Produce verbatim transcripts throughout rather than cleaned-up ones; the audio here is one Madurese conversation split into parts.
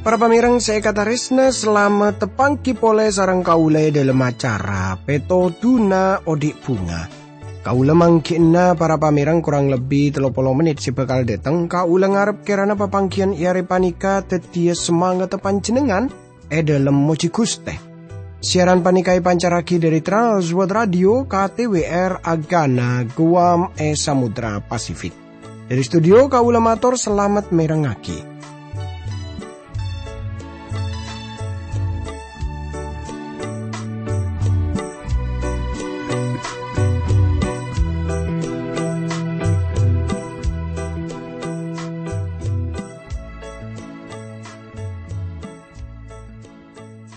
Para pamèrèng sè èkatarèsna, salamet tapangghi polè sareng kaulâ è dhâlem acara Pètodhuna Odi' Bhunga. Kaulâ mangghi'na para pamèrèng korang lebbi tello polo mennit sè bhâkal dâteng. Kaulâ ngarep kèrana papangghiyân è arè panèka dhâddhiyâ samangatta panjhennengngan è dhâlem mojhi Ghustè. Siaran panèka èpancarraghi dhâri Trans World Radio K T W R Agana Guam è Samudra Pasifik. Dhâri studio kaulâ mator salamet mèrengngaghi.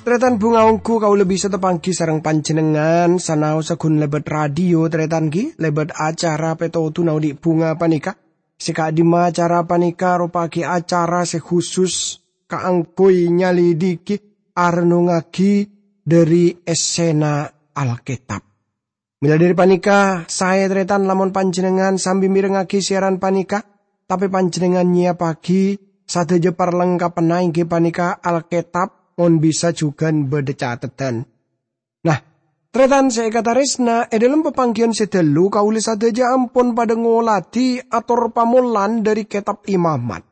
Tarètan bhunga, ongghu kaulâ bisa tapangghi sareng panjhennengngan sanaossa ghun lèbât radio, tarètan, ghi, lèbât acara Pètodhuna Odi' Bhunga panèka. Sè ka'dimma acara panèka aropa'aghi acara sè khusus kaangghuy nyalidiki, arennungngaghi dhâri essèna Alkètab. Mèla dhâri panèka, saè tarètan lamon panjhennengngan sambi mèrengngaghi siaran panèka, tapè panjhennengngan nyèyappaghi sadhâjâ parlengkappanna, èngghi panèka Alkètab, mon bisa jhughân bâdâ cateddhân. Nah, tarètan sè èkatarèsna, è dhâlem papangghiyân sè dâllu kaulâ sadhâjâ ampon padâ ngolatè ator pamolan dhâri Kètab Imamat.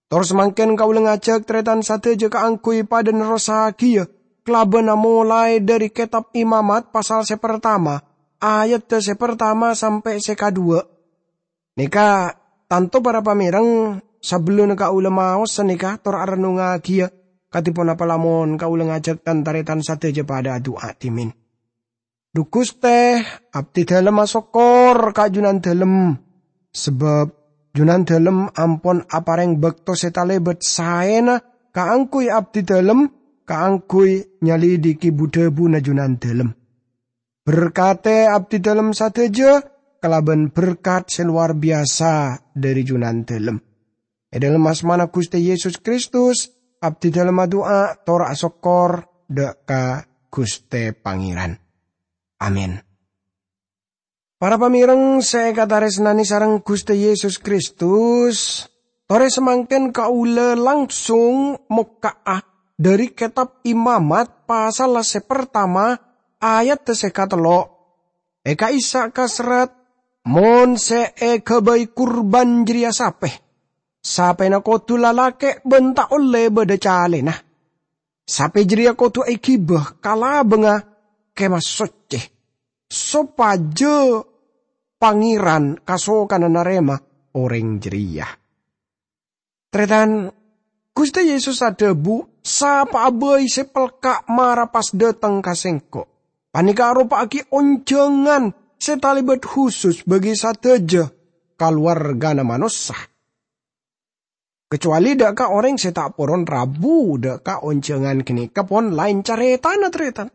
Tor samangkèn kaulâ ngajhâk tarètan sadhâjâ kaangghuy padâ nerrossaghiyâ kalabân amolaè dhâri Kètab Imamat pasal sè partama, ayaddhâ sè partama sampè' sè kadhuwâ'. Nèka, tanto para pamèrèng, sabellunna kaulâ maos sanèka tor arennungngagiyâ, kadhi ponapa lamon kaulâ ngajhâk tan-tarètan sadhâjâ padâ adu'a dhimèn. Dhu Ghustè, abdhi dhâlem asokkor ka Jhunandhâlem, sabâb Jhunandhâlem ampon aparèng bâkto sè talèbât saèna kaangghuy abdhi dhâlem, kaangghuy nyalidiki bu-dhâbuna Jhunandhâlem. Berkatè abdhidhâlem sadhâjâ kalabân berkat sè lowar biyasa dhâri Jhunandhâlem. È dhâlem asmana Ghustè Yesus Kristus, abdhidhâlem adu'a tor asokkor dâ' ka Ghustè Pangèran. Amin. Para pamèrèng sè èkatarèsnanè sareng Ghustè Yesus Kristus, torè samangkèn kaulâ langsung mokka'a dhâri Kètab Imamat pasalla sè partama, ayaddhâ sè katello'. È ka'issa' kaserrat, "Mon sè èghâbây kurban jârèya sapè, sapèna kodhu lalakè' bân ta' ollè bâdâ calèna. Sapè jârèya kodhu èghibâ ka labângnga Kèma Soccè, sopajâ Pangèran kasokanna narèma orèng jârèya." Tarètan, Ghustè Yesus adhâbu, "Sapa'a bhâi sè pelka' mara pas dâteng ka Sèngko'. Panèka aropa'aghi onjhângan sè talèbât khusus bagi sadhâjâ kalowarghâna manossa. Kacowalè dâ' ka orèng sè ta' poron rabu dâ' ka onjhângan ghânèka pon laèn carètana, tarètan."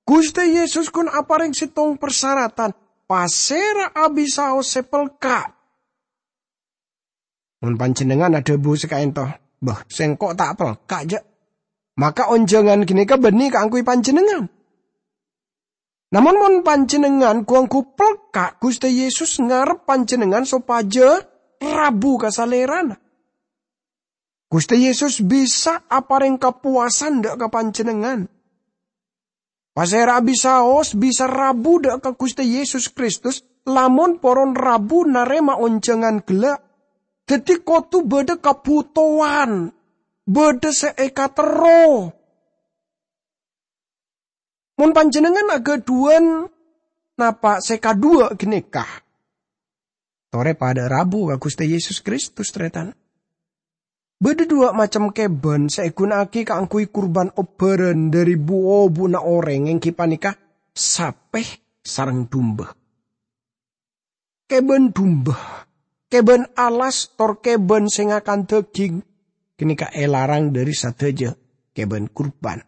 Ghustè Yesus ghun aparèng sèttong parsaratan, "Pasèra abisaos sè pelka'?" Mon panjhennengngan adhâbu sè ka'ènto, "Bâh, sèngko' ta' pelka', jâ'," maka onjhângan ghânèka bânnè kaangghuy panjhennengngan. Namong mon panjhennengngan ghu-ongghu pelka', Ghustè Yesus ngarep panjhennengngan sopajâ rabu ka Salèrana. Ghustè Yesus bisa aparèng kapowasan dâ' ka panjhennengngan. Pasèra abisaos bisa rabu dâ' ka Ghustè Yesus Kristus, lamon poron rabu narèma onjhângan ghellâ'. Dhâddhi kodhu bâdâ kabhutowan, bâdâ sè èkaterro. Mon panjhennengngan aghâdhuwân napa' sè kadhuwâ' ghânèka, torè padâ rabu ka Ghustè Yesus Kristus, tarètan. Bâdâ dhuwâ' macem kèbân sè èghuna'aghi kaangghuy kurban obbhârân dhâri bu-obu'na orèng, èngghi panèka sapè sareng dumba. Kèbân dumba, kèbân alas, tor kèbân sè ngakan dhâghing ghânèka èlarang dhâri sadhâjâ kèbân kurban.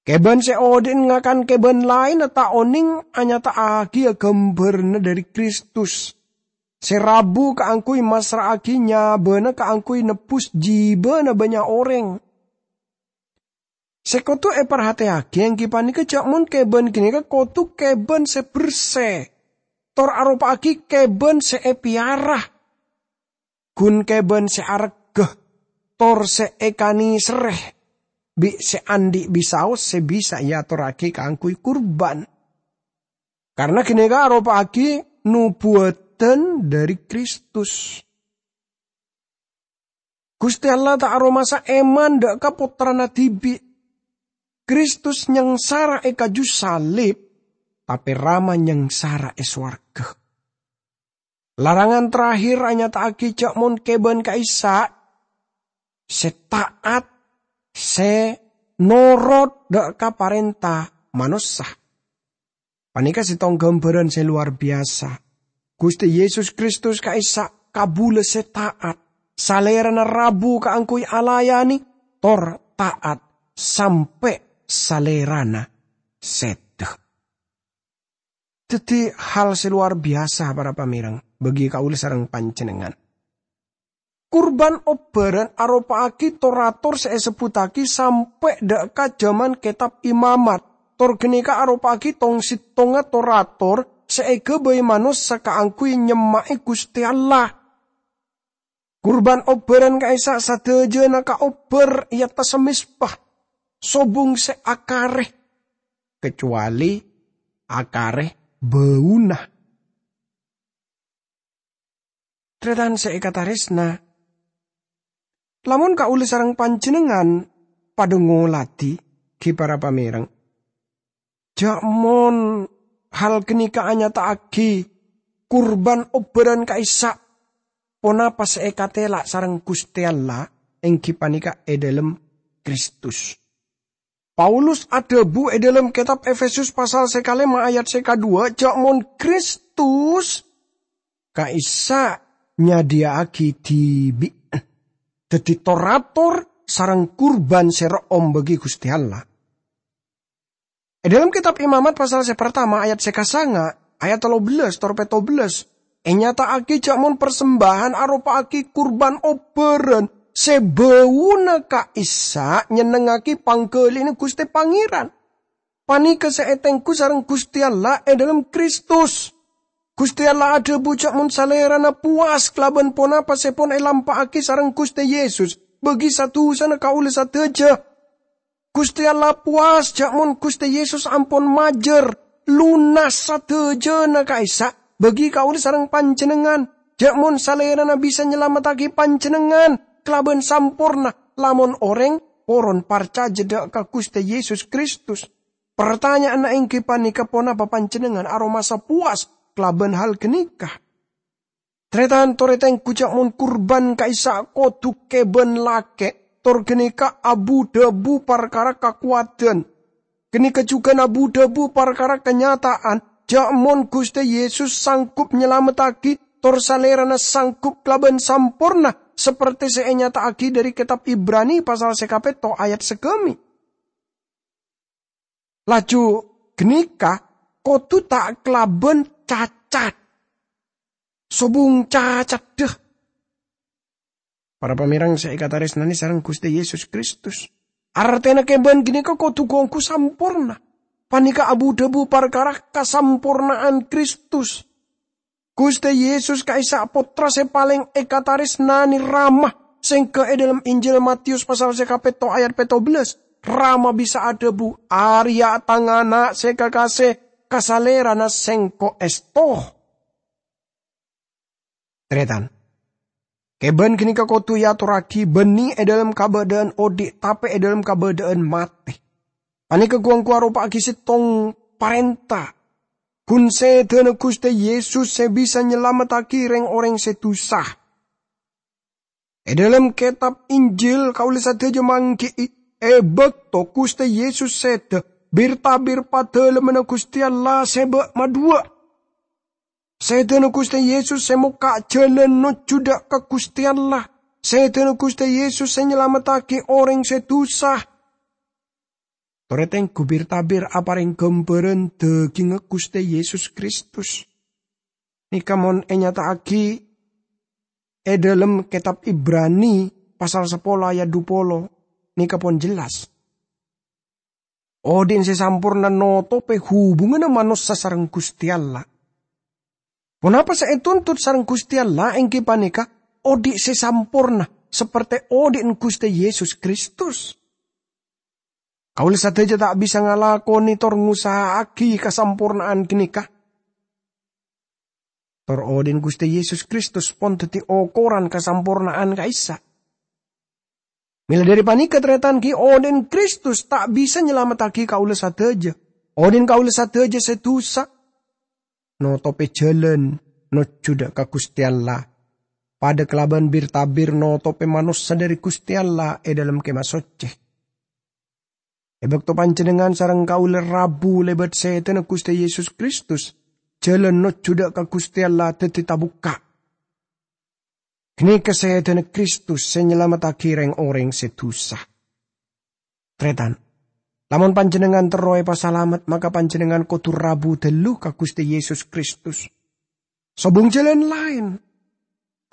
Kèbân sè odi'na ngakan kèbân laènna ta' onèng anyata'aghiyâ ghâmbhârânna dhâri Kristus, sè rabu kaangghuy massra'aghi nyabâna kaangghuy nebbhus jibâna bânnya' orèng. Sè kodhu èparhatèyaghi èngghi panèka jhâ' mon kèbân ghânèka kodhu kèbân sè bersè, tor aropa'aghi kèbân sè èpèyara. Ghun kèbân sè aregghâ, tor sè èkanèserrè bi' sè andi' bisaos sè bisa èatorraghi kaangghuy kurban. Karna ghânèka aropa'aghi nobuwâdhân dhâri Kristus. Ghustè Allah ta' aromasa èman dâ' ka Pottrana dhibi'. Kristus nyangsara è kaju salib, tapè Rama nyangsara è sowarghâ. Larangan terakhir anyata'aghi jhâ' mon kèbân ka'issa' sè ta'at, sè norot dâ' ka parènta manossa. Panèka sèttong ghâmbhârân sè lowar biyasa. Ghustè Yesus Kristus ka'issa' kabulâ sè ta'at, Salèrana rabu kaangghuy alayanè, tor ta'at sampè' Salèrana sèdhâ. Dhâddhi hal sè lowar biyasa, para pamèreng, bagi kaulâ sareng panjhennengngan. Kurban obbhârân aropa'aghi tor-ator sè èsebbhuttaghi sampè' dâ' ka jhâman Kètab Imamat. Tor ghânèka aropa'aghi tong-sèttongnga tor-ator sè èghâbây manossa kaangghuy nyemma'è Ghustè Allah. Kurban obbhârân ka'issa' sadhâjâna kaobbhâr è attassa mezba, sobung sè akarè, kacowalè akarè bâuna. Tarètan sè èkatarèsna, lamon kaulâ sareng panjhennengngan padâ ngoladhi, ghi para pamèreng, jhâ' mon hal ghânèka anyata'aghi kurban obbhârân ka'issa' ponapa sè èkatèla' sareng Ghustè Allah, èngghi panèka è dhâlem Kristus. Paulus adhâbu è dhâlem kètab Efesus pasal sè kalèma ayat sè kadhuwâ', jhâ' mon Kristus ka'issa' nyadhiyâ'aghi dhibi'na dhâddhi tor-ator sareng kurban sè ro'om bagi Ghustè Allah. È dhâlem kètab Imamat pasal sè partama ayat sè kasanga, ayat tello bellâs tor pètto bellâs, ènyata'aghi jhâ' mon parsembâhân aropa'aghi kurban obbhârân sè bâuna ka'issa' nyennengngaghi pangghâli'na Ghustè Pangèran. Panèka sè ètengghu sareng Ghustè Allah è dhâlem Kristus. Ghustè Allah adhâbu jhâ' mon Salèrana powas kalabân ponapa sè pon èlampa'aghi sareng Ghustè Yesus bagi sa-dusana kaulâ sadhâjâ. Ghustè Allah powas jhâ' mon Ghustè Yesus ampon majâr, lonas sadhâjâna ka'issa' bagi kaulâ sareng panjhennengngan, jhâ' mon Salèrana bisa nyalamettaghi panjhennengngan kalabân samporna lamon orèng poron parcajâ dâ' ka Ghustè Yesus Kristus. Partanya'anna èngghi panèka, ponapa panjhennengngan aromasa powas kalabân hal ghânèka? Tarètan torè tengghu jhâ' mon kurban ka'issa' kodhu kèbân lakè', tor ghânèka abu-dhâbu parkara kakowadhân. Ghânèka jhughân abu-dhâbu parkara kanyata'an, jhâ' mon Ghustè Yesus sanggup nyalamettaghi, tor Salèrana sanggup kalabân samporna, sapertè sè ènyata'aghi dhâri kètab Ibrani pasal sè kapètto ayat sagâmè'. Laju ghânèka kodhu ta' kalabân cacat. Sobung cacaddhâ. Para pamèreng sè èkatarèsnanè sareng Ghustè Yesus Kristus, artèna kèbân ghânèka kodhu ghu-ongghu samporna. Panèka abu-dhâbu parkara kasamporna'an Kristus. Ghustè Yesus ka'issa' Pottra sè palèng èkatarèsnanè Rama, sèngghâ è dhâlem Injil Matius pasal sè kapètto ayat pètto bellâs, Rama bisa adhâbu, "Arèya' Tang Ana' sè kakasè, ka Salèrana Sèngko' èsto." Tarètan, kèbân ghânèka kodhu èatorraghi bânnè è dhâlem kabâdâ'ân odi', tapè è dhâlem kabâdâ'ân matè. Panèka ghu-ongghu aropa'aghi sèttong parènta. Ghun sèdhâna Ghustè Yesus sè bisa nyalamettaghi rèng-orèng sè dusa. È dhâlem kètab Injil kaulâ sadhâjâ mangghi'i, è bâkto Ghustè Yesus sèdhâ, bir-tabir Padâlemmanna Ghustè Allah sè bâ' madhuwâ'. Sèdhâna Ghustè Yesus sè mokka' jhâlân nojjhu dâ' ka Ghustè Allah. Sèdhâna Ghustè Yesus sè nyalamettaghi orèng sè dusa. Torè tengghu bir-tabir aparèng ghâmbhârân dhâghingnga Ghustè Yesus Kristus. Nèka mon ènyata'aghi è dhâlem kètab Ibrani pasal sapolo ayat dhu polo, nèka pon jelas. Odhi'na sè samporna notobhi hubunganna manossa sareng Guste Allah. Ponapa sè etuntut sareng Guste Allah enggi paneka odhi' sè samporna, saperte odhi'na Guste Yesus Kristus. Kaula sadaja ta' bisa ngalakone tor ngosa'agi kasamporna'an ganeka. Tor odhi'na Guste Yesus Kristus pon daddi okoran kasamporna'an ka'issa'. Mela dhari paneka, taretan, gi' odhi'na Kristus ta' bisa nyalamettagi kaula sadaja. Odhi'na kaula sadaja sè dusa notobhi jalan nojju dha' ka Guste Allah, padha kalaban bir-tabir notobhi manossa dhari Guste Allah e dhalem Kemah Socce. E bakto panjennengngan sareng kaula rabu lebat sedana Guste Yesus Kristus, jalan nojju dha' ka Guste Allah daddi tabukka'. Ganeka sedana Kristus sè nyalamettagi reng-oreng sè dusa. Taretan, lamon panjennengngan terro epasalamet, maka panjennengngan kodu rabu dhallu ka Guste Yesus Kristus. Sobung jalan laen.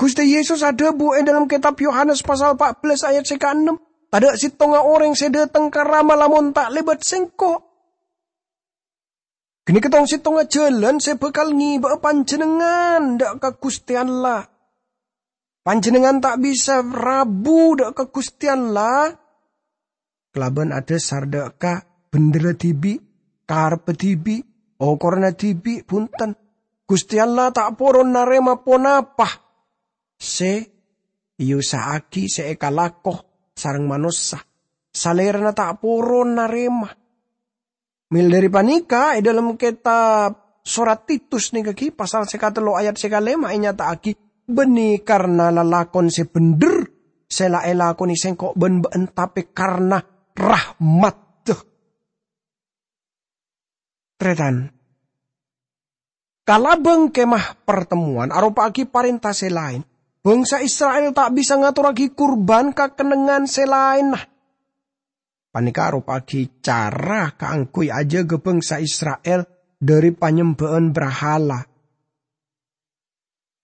Guste Yesus adhabu e dhalem Ketab Yohanes pasal pa' bellas ayat sè kaennem, "Tadha' settonga oreng sè dhateng ka Rama lamon ta' lebat Sengko'." Ganeka tong settonga jalan sè bakal ngeba'a panjennengngan dha' ka Guste Allah. Panjennengngan ta' bisa rabu dha' ka Guste Allah kalaban adhasar dha' ka bhendherra dhibi', karebba dhibi', okoranna dhibi', bunten. Guste Allah ta' poron narema ponapa sè eosa'agi, sè ekalako sareng manossa. Salerana ta' poron narema. Mel dhari paneka, e dhalem ketab Sorat Titus nèka ghi, pasal sè katello ayat sè kalema enyata'agi, "Bânnè karna lalakon sè bhendher sè la elakone sengko' bân bâ'en, tape karna rahmat." Taretan, kalabâng Kemah Partemmowan aropa'agi parenta sè laen. Bangsa Isra'il ta' bisa ngatorragi kurban ka kennengngan sè laenna. Paneka aropa'agi cara kaangguy ajaga bangsa Isra'il dhari panyembhâ'ân brahala.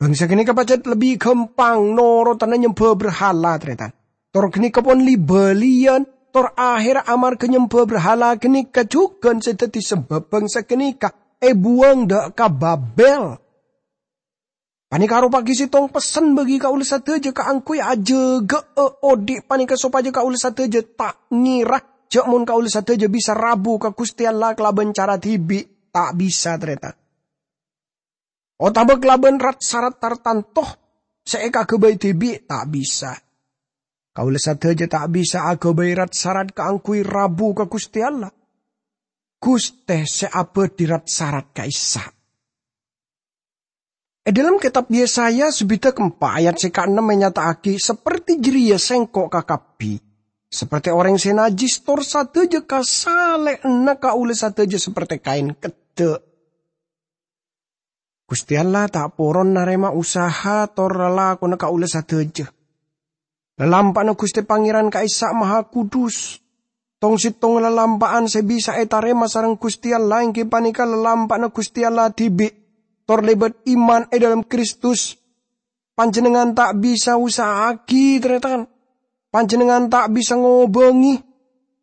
Bangsa ganeka pajhât lebbi ghâmpang norotana nyembhâ brahala, taretan. Tor ganeka pon li-bâliyân, tor aherra amarghâ nyembhâ brahala ganeka jhughân sè daddi sabâb bangsa ganeka ebuwâng dha' ka Babel. Paneka aropa'agi settong pessen bagi kaula sadaja kaangguy ajaga'a odhi' paneka sopaja kaula sadaja ta' ngera jhâ' mon kaula sadaja bisa rabu ka Guste Allah kalabân cara dhibi'. Ta' bisa, taretan. Otabâ kalabân rat-sarat tartanto sè ekaghâbây dhibi', ta' bisa. Kaula sadaja ta' bisa aghâbây rat-sarat kaangguy rabu ka Guste Allah. Guste sè abâdhi rat-sarat ka'issa'. E dhalem Ketab Yesaya sabidhâk empa' ayat sè kaennem enyata'agi, "Saperte jârèya Sengko' ka kabbhi, saperte oreng sè najjhis, tor sadaja kasalè'anna kaula sadaja saperte kaen keddhâ'." Guste Allah ta' poron narema usaha tor lalakonna kaula sadaja. Lalampa'anna Guste Pangeran ka'issa' Mahakudus. Tong-settong lalampa'an sè bisa etarema sareng Guste Allah enggi paneka lalampa'anna Guste Allah dhibi', tor lebat iman e dhalem Kristus. Panjennengngan ta' bisa usaha'agi, taretan. Panjennengngan ta' bisa ngobângi.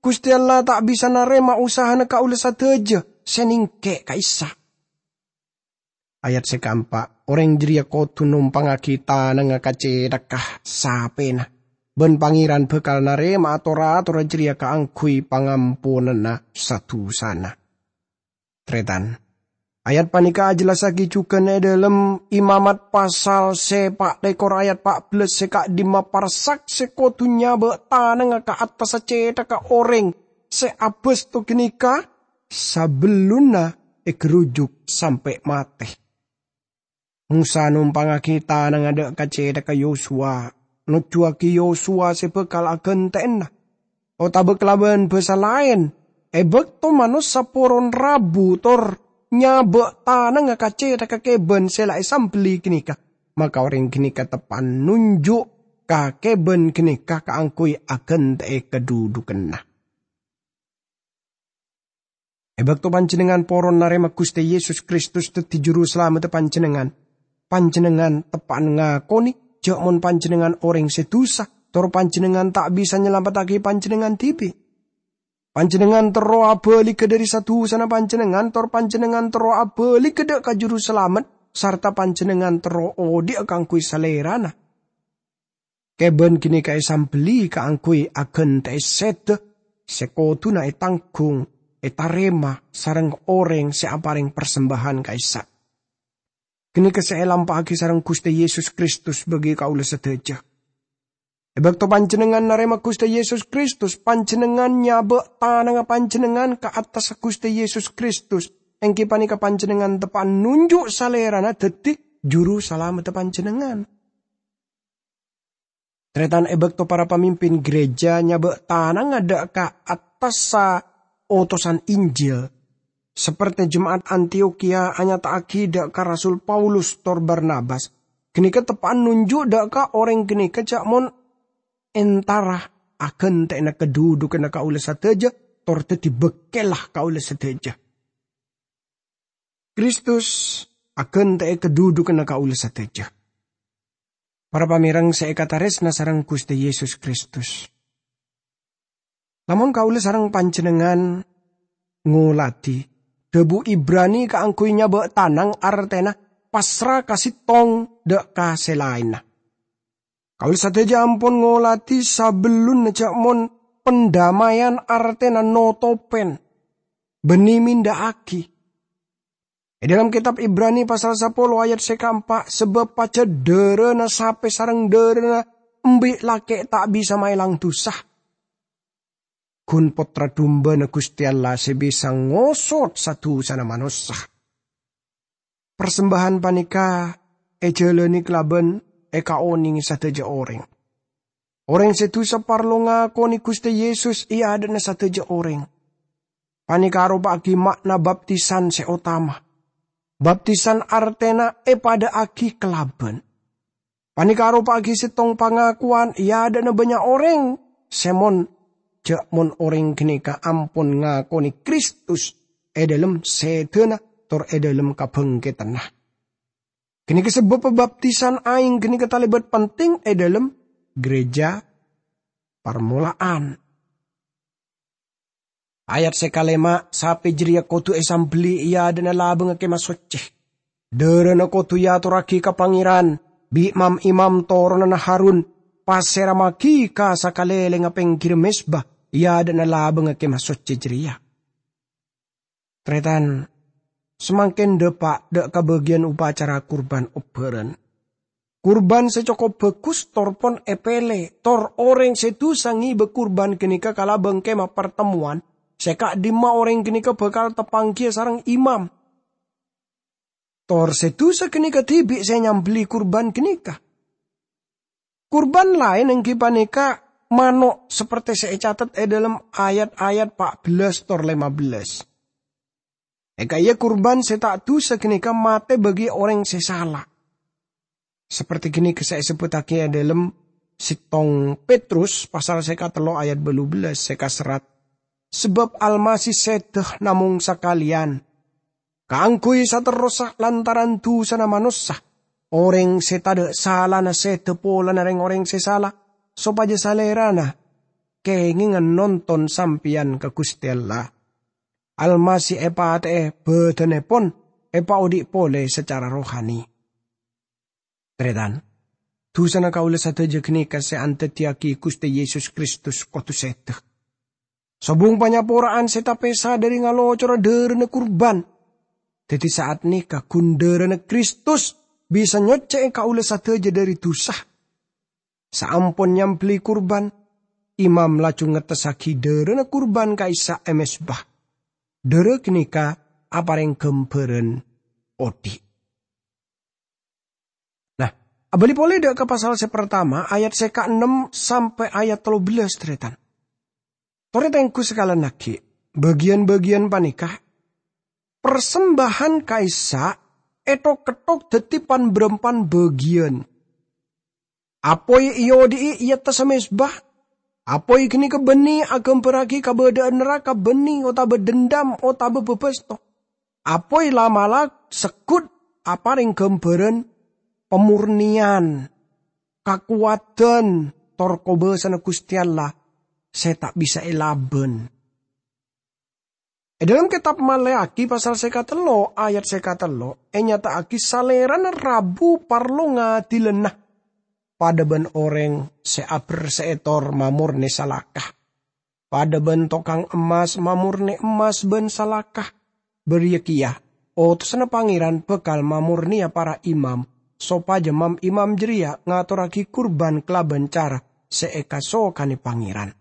Guste Allah ta' bisa narema usahana kaula sadaja sè nengke' ka'issa'. Ayat sè kaempa', oreng jârèya kodhu nompangngagi tanangnga ka cèthagghâ sapèna, bân Pangèran bhâkal narèma'a tor-atorra jârèya kaangghuy pangamponanna sa-dusana. Tarètan, ayat panèka ajhellassaghi jhughân è dhâlem Imamat pasal sè pa' lèkor ayat pa' bellâs sè ka'dimma parsak sè kodhu nyabâ' tanangnga ka attassa cèthagghâ orèng sè abâsto ghânèka sabellunna ègherujuk sampè' matè. Mosa nompangngagi tanangnga dâ' ka cèthagghâ Yosuwa, nojjuwâghi Yosuwa sè bhâkal aghântè'ana. Otabâ kalabân bhâsa laèn, è bâkto manossa poron rabu tor nyabâ' tanangnga ka cèthagghâ kèbân sè la èsambelli ghânèka, maka orèng ghânèka teppa'na nonjhu' ka kèbân ghânèka kaangghuy aghântè'è kadhudhughânna. È bâkto panjhennengngan poron narèma Ghustè Yesus Kristus dhâddhi Jurusalameddhâ panjhennengngan, panjhennengngan teppa'na ngakonè jhâ' mon panjhennengngan orèng sè dhusa, tor panjhennengngan ta' bisa nyalameddhâghi panjhennengngan dhibi'. Panjhennengngan terro abhâligghâ dhâri sa-dhusana panjhennengngan, tor panjhennengngan terro abhâligghâ dhâ' ka Juru Salamet, sarta panjhennengngan terro odhi'a kaangghuy Salèrana. Kèbân ghânèka èsambelli kaangghuy aghântè'è sèdhâ sè kodhuna ètangghung, ètarèma sareng orèng sè aparèng parsembâhân ka'issa'. Ghânèka sè èlampa'aghi sareng Ghustè Yesus Kristus bagi kaulâ sadhâjâ. È bâkto panjhennengngan narèma Ghustè Yesus Kristus, panjhennengngan nyabâ' tanangnga panjhennengngan ka attassa Ghustè Yesus Kristus, èngghi panèka panjhennengngan teppa'an nonjhu' Salèrana dhâddhi Juru Salamedda panjhennengngan. Tarètan, è bâkto para pamimpin gereja nyabâ' tanangnga dhâ' ka attassa otosan Injil, saperte jema'at Antiokhia anyata'aghi dhâ' ka Rasul Paulus tor Barnabas, ghânèka teppa'an nonjhu' dhâ' ka orèng ghânèka jhâ' mon entara aghântè'ana kadhudhughânna kaulâ sadhâjâ tor dhâddhi bâkkèlla kaulâ sadhâjâ. Kristus aghântè'è kadhudhughânna kaulâ sadhâjâ. Para pamèreng sè èkatarèsna sareng Ghustè Yesus Kristus, lamon kaulâ sareng panjhennengngan ngoladhi dhâbu Ibrani kaangghuy nyabâ' tanang, artèna pasra ka sèttong dhâ' ka sè laènna. Kaulâ sadhâjâ ampon ngoladhi sabellunna jhâ' mon pandamaian artèna notopèn, bânnè mèndhâ'aghi. È dhâlem kètab Ibrani pasal sapolo ayat sè kaempa', sabâb pajhât dhârâna sapè sareng dhârâna embi' lakè' ta' bisa maèlang dhusa. Ghun Pottra Dumbâna Ghustè Allah sè bisa ngosot sa-dhusana manossa. Parsembâhân panèka èjhâlânè kalabân èkaonèngè sadhâjâ orèng. Orèng sè dhusa parlo ngakonè Ghustè Yesus è adâ'na sadhâjâ orèng. Panèka aropa'aghi ma'na baptisan sè otama. Baptisan artèna èpadâ'âghi kalabân. Panèka aropa'aghi sèttong pangakowan è adâ'na bânnya' orèng sè mon, jhâ' mon orèng ghânèka ampon ngakonè Kristus è dhâlem sèdhâna tor è dhâlem kabhângkèdhânna. Ghânèka sabâbbhâ baptisan aèng ghânèka talèbât penting è dhâlem gereja parmola'an. Ayat sè kalèma', sapè jârèya kodhu èsambelli è adâ'na labângnga Kèma Soccè. Dhârâna kodhu èatorraghi ka Pangèran bi' mam-imam toronanna Harun, pasèramaghi ka sakalèlèngnga pèngghirrâ mezba è adâ'na labângnga Kèma Soccè jârèya. Tarètan, samangkèn dâpa' dhâ' ka bâgiyân upacara kurban obbhârân. Kurban sè cokop bhâghus tor pon èpèlè, tor orèng sè dhusa ngèbâ kurban ghânèka ka labâng Kèma Partemmowan, sè ka'dimma orèng ghânèka bhâkal tapangghiyâ sareng imam. Tor sè dhusa ghânèka dhibi' sè nyambelli kurban ghânèka. Kurban laèn èngghi panèka mano', saperte sè ècatet è dhâlem ayat-ayat pa' bellâs tor lèma bellâs. Èkaiyâ kurban sè ta' dhusa ghânèka matè bâgi orèng sè sala. Saperte ghânèka sè èsebbhuttaghi è dhâlem sèttong Petrus pasal sè katello ayat bâllu bellâs sè kaserrat, "Sabâb Almasih sèdhâ namong sakalèyan kaangghuy saterrossa lantaran dhusana manossa, orèng sè tadâ' salana sèdhâ polana rèng-orèng sè sala, sopajâ Salèrana kèngèngan nonton sampèyan ka Ghustè Allah. Almasih èpatè'è, bhâdhânèpon èpaodhi' polè sacara rohani." Tarètan, dhusana kaulâ sadhâjâ ghânèka sè andaddiyâghi Ghustè Yesus Kristus kodhu sèdhâ. Sobung panyapora'an sè tapèsa dhâri ngalocora dhârâna kurban. Dhâddhi, sa'at nèka ghun dhârâna Kristus bisa nyoccè'è kaulâ sadhâjâ dhâri dhusa. Saampon nyambelli kurban, imam laju ngettessaghi dhârâna kurban ka'issa' è mezba. Dhârâ ghânèka aparèng ghâmbhârân odhi'. Nah, abâli polè dhâ' ka pasal sè partama, ayat sè kaennem sampè' ayat tello bellâs, tarètan. Torè tengghu sakalèn aghi', bâgiyân-bâgiyân panèka, parsembâhân ka'issa' èthok-ketthok dhâddhi pan-bârâmpan bâgiyân. Apoy èodhi'i è attassa mezba. Apoy ghânèka bânnè aghâmbhârraghi kabâdâ'ân naraka bânnè otabâ dendam otabâ bâbâsto. Apoy la'-mala' segghut aparèng ghâmbhârân pamornèyan, kakowadhân, tor kobâsana Ghustè Allah sè ta' bisa èlabân. È dhâlem kètab Maleaki pasal sè katello' ayat sè katello' ènyata'aghi Salèrana rabu parlo ngadilana padâ bân orèng sè aberse'è tor mamornè salaka, padâ bân tokang emmas mamornè emmas bân salaka. Bâriyâ kèya, otosanna Pangèran bhâkal mamornèya para imam, sopajâ mam-imam jârèya ngatorraghi kurban kalabân cara sè èkasokanè Pangèran.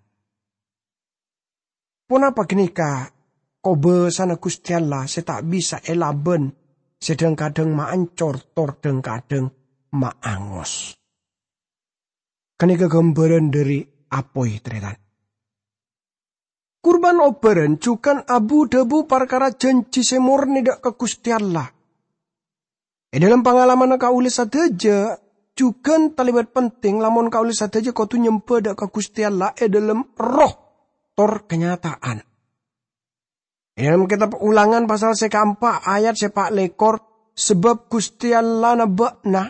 Ponapa ghânèka kobâsana Ghustè Allah sè ta' bisa èlabân, sè dhâng-kadhâng maancor tor dhâng-kadhâng maangos? Ghânèka ghâmbhârân dhâri apoy, tarètan. Kurban obbhârân jhughân abu-dhâbu parkara jhânjhi sè mornè dâ' ka Ghustè Allah. È dhâlem pangalamanna kaulâ sadhâjâ, jhughân talèbât penting lamon kaulâ sadhâjâ kodhu nyembhâ dâ' ka Ghustè Allah è dhâlem erroh tor kanyata'an. È dhâlem kètab Ulangan pasal sè kaempa' ayat sè pa' lèkor, "Sabâb Ghustè Allahna bâ'na,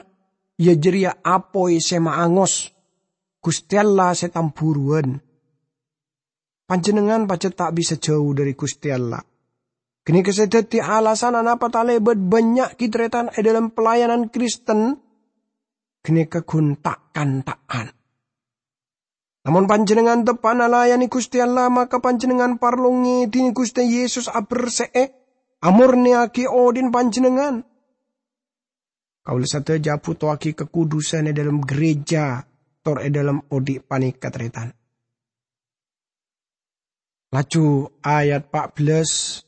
iyâ jârèya apoy sè maangos, Ghustè Allah sè tambhuruwân." Panjhennengngan pajhât ta' bisa jhâu dhâri Ghustè Allah. Ghânèka sè dhâddhi alasan anapa talèbât bânnya' ghi tarètan è dhâlem pelayanan Kristen, ghânèka ghun ta'-kanta'an. Lamon panjhennengngan teppa'na layanè Ghustè Allah, maka panjhennengngan parlo ngèdhingè Ghustè Yesus aberse'è, amornèyaghi odhi'na panjhennengngan. Kaulâ sadhâjâ abhutowaghi kakudusân è dhâlem ghârèjâ tor è dhâlem odhi' panèka, tarètan. Laju ayat pa' bellâs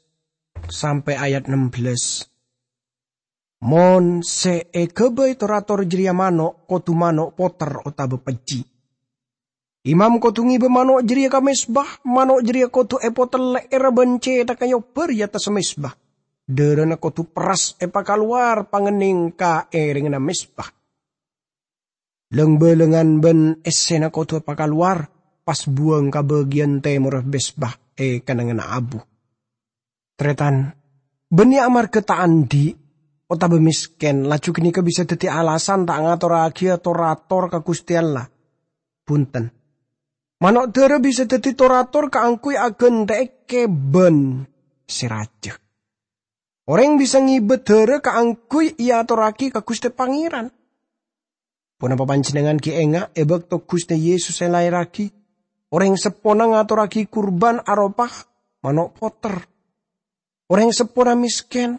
sampè' ayat nem bellâs. Mon sè èghâbây tor-ator jârèya mano', kodhu mano' poter otabâ pejji'. Imam kodhu ngèbâ mano' jârèya ka mezbah, mano' jârèya kodhu èpotel lè'èrra bân cèthagghâ èobbhâr è attassa mezbah. Dârâna kodhu perres èpakalowar pangennèng ka èrèngnganna mezbah. Lang-bâlângan bân èssèna kodhu èpakalowar, pas buwâng ka bâgiyân tèmorra mezbah è kennengnganna abu. Tarètan, bânnè amarghâ ta' andi' otabâ mèskèn, laju ghânèka bisa dhâddhi alasan ta' ngatorraghiyâ tor-ator ka Ghustè Allah. Bhunten. Mano' dârâ bisa dhâddhi tor-ator kaangghuy aghântè'è kèbân sè rajâ. Orèng bisa ngèbâ dârâ kaangghuy èatorraghi ka Ghustè Pangèran. Ponapa panjhennengngan ghi' enga' è bâkto Ghustè Yesus èlaèrraghi, orèng seppona ngatorraghi kurban aropa mano' poter? Orèng seppona mèskèn,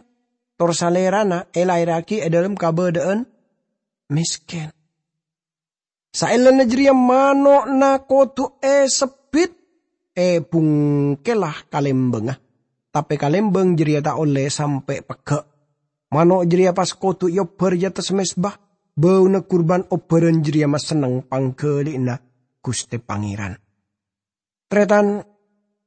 tor Salèrana èlaèrraghi è dhâlem kabâdâ'ân mèskèn. Saellana jârèya mano'na kodhu èsebbit, èbhungkella ka lèmbângnga. Tapè ka lèmbâng jârèya ta' ollè sampè' pegghâ'. Mano' jârèya pas kodhu èobbhâr è attassa mezbah, bâuna kurban obbhârân jârèya masenneng pangghâli'na Ghustè Pangèran. Tarètan,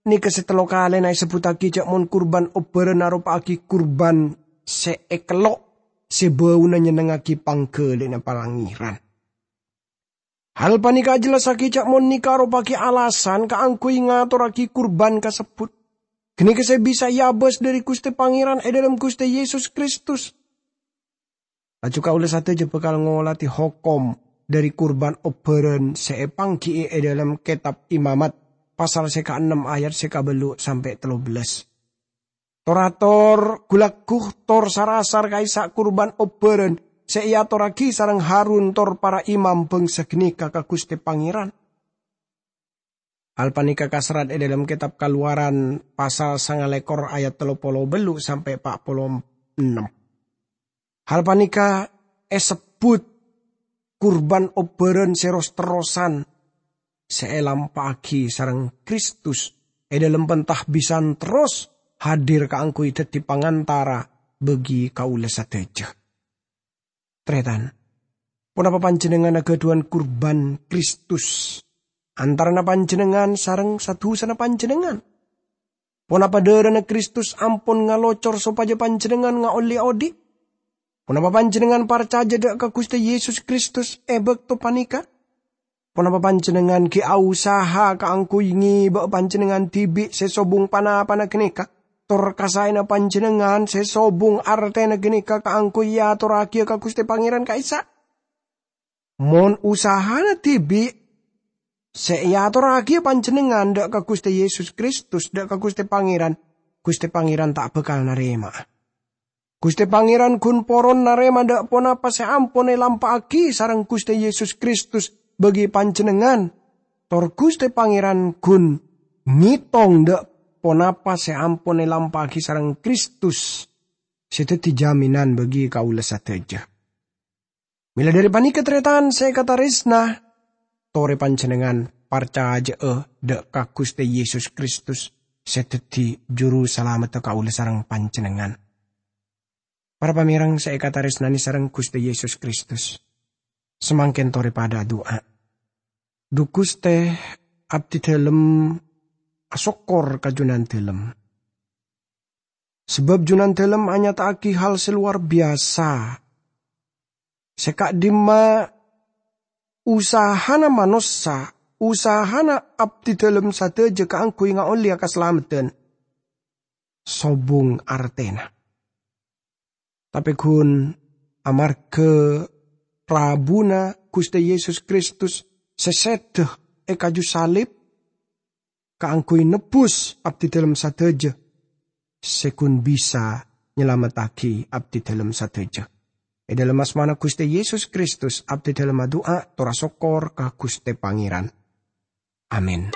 nèka sè tello kalèna èsebbhuttaghi jâ' mon kurban obbhârân aropa'aghi kurban sè èkello', sè bâuna nyennengngaghi pangghâli'na Pangèran. Hal panèka ajhellassaghi jâ' mon nèka aropa'aghi alasan kaangghuy ngatorraghi kurban kasebbhut. Ghânèka sè bisa èabâs dhâri Ghustè Pangèran è dhâlem Ghustè Yesus Kristus. Laju kaulâ sadhâjâ bhâkal ngolatè hokom dhâri kurban obbhârân sè èpangghi'i è dhâlem Kètab Imamat, pasal sè kaennem ayat sè kabâllu' sampè' tello bellâs. Tor-ator, ghu-lagghu, tor sar-asar ka'issa' kurban obbhârân sè èatorraghi sareng Harun tor para imam bhângsa ghânèka ka Ghustè Pangèran. Hal panèka kaserrat è dhâlem Kètab Kalowaran pasal sangalèkor ayat tello polo bâllu' sampè' pa' polo ennem. Hal panèka èsebbhut kurban obbhârân sè ros-terrosan sè èlampa'aghi sareng Kristus è dhâlem penta bhisan terros hadir kaangghuy dhâddhi pangantara bagi kaulâ sadhâjâ. Tarètan, ponapa panjhennengngan aghâdhuwân kurban Kristus antarana panjhennengngan sareng sa-dhusana panjhennengngan? Ponapa dârâna Kristus ampon ngalocor sopajâ panjhennengngan ngaollè odhi'? Ponapa panjhennengngan parcajâ dâ' ka Ghustè Yesus Kristus è bâkto panèka? Ponapa panjhennengngan ghi' ausaha kaangghuy ngèbâ panjhennengngan dhibi' sè sobung pa-napana ghânèka, tor kasaèna panjhennengngan sè sobung artèna ghânèka kaangghuy èatorraghiyâ ka Ghustè Pangèran ka'issa'? Mon usahana dhibi' sè èatorraghiyâ panjhennengngan dâ' ka Ghustè Yesus Kristus, dâ' ka Ghustè Pangèran, Ghustè Pangèran ta' bhâkal narèma'a. Ghustè Pangèran ghun poron narèma dâ' ponapa sè ampon èlampa'aghi sareng Ghustè Yesus Kristus bagi panjhennengngan, tor Ghustè Pangèran ghun ngètong dâ' ponapa sè ampon èlampa'aghi sareng Kristus sè dhâddhi jaminan bagi kaulâ sadhâjâ. Mèla dhâri panèka, tarètan sè èkatarèsna, torè panjhennengngan parcajâ'â dâ' ka Ghustè Yesus Kristus sè dhâddhi Juru Salameddhâ kaulâ sareng panjhennengngan. Para pamèreng sè èkatarèsnanè sareng Ghustè Yesus Kristus, samangkèn torè padâ adu'a. Dhu Ghustè, abdhidhâlem asokkor ka Jhunandhâlem. Sabâb Jhunandhâlem anyata'aghi hal sè lowar biyasa, sè ka'dimma usahana manossa, usahana abdhidhâlem sadhâjâ kaangghuy ngaollèya kasalameddhân, sobung artèna. Tapè ghun amarghâ rabuna Ghustè Yesus Kristus sè sèdhâ è kaju salib, kaangghuy nebbhus abdhidhâlem sadhâjâ, sè ghun bisa nyalamettaghi abdhidhâlem sadhâjâ. È dhâlem asmana Ghustè Yesus Kristus, abdhidhâlem adu'a tor asokkor ka Ghustè Pangèran. Amin.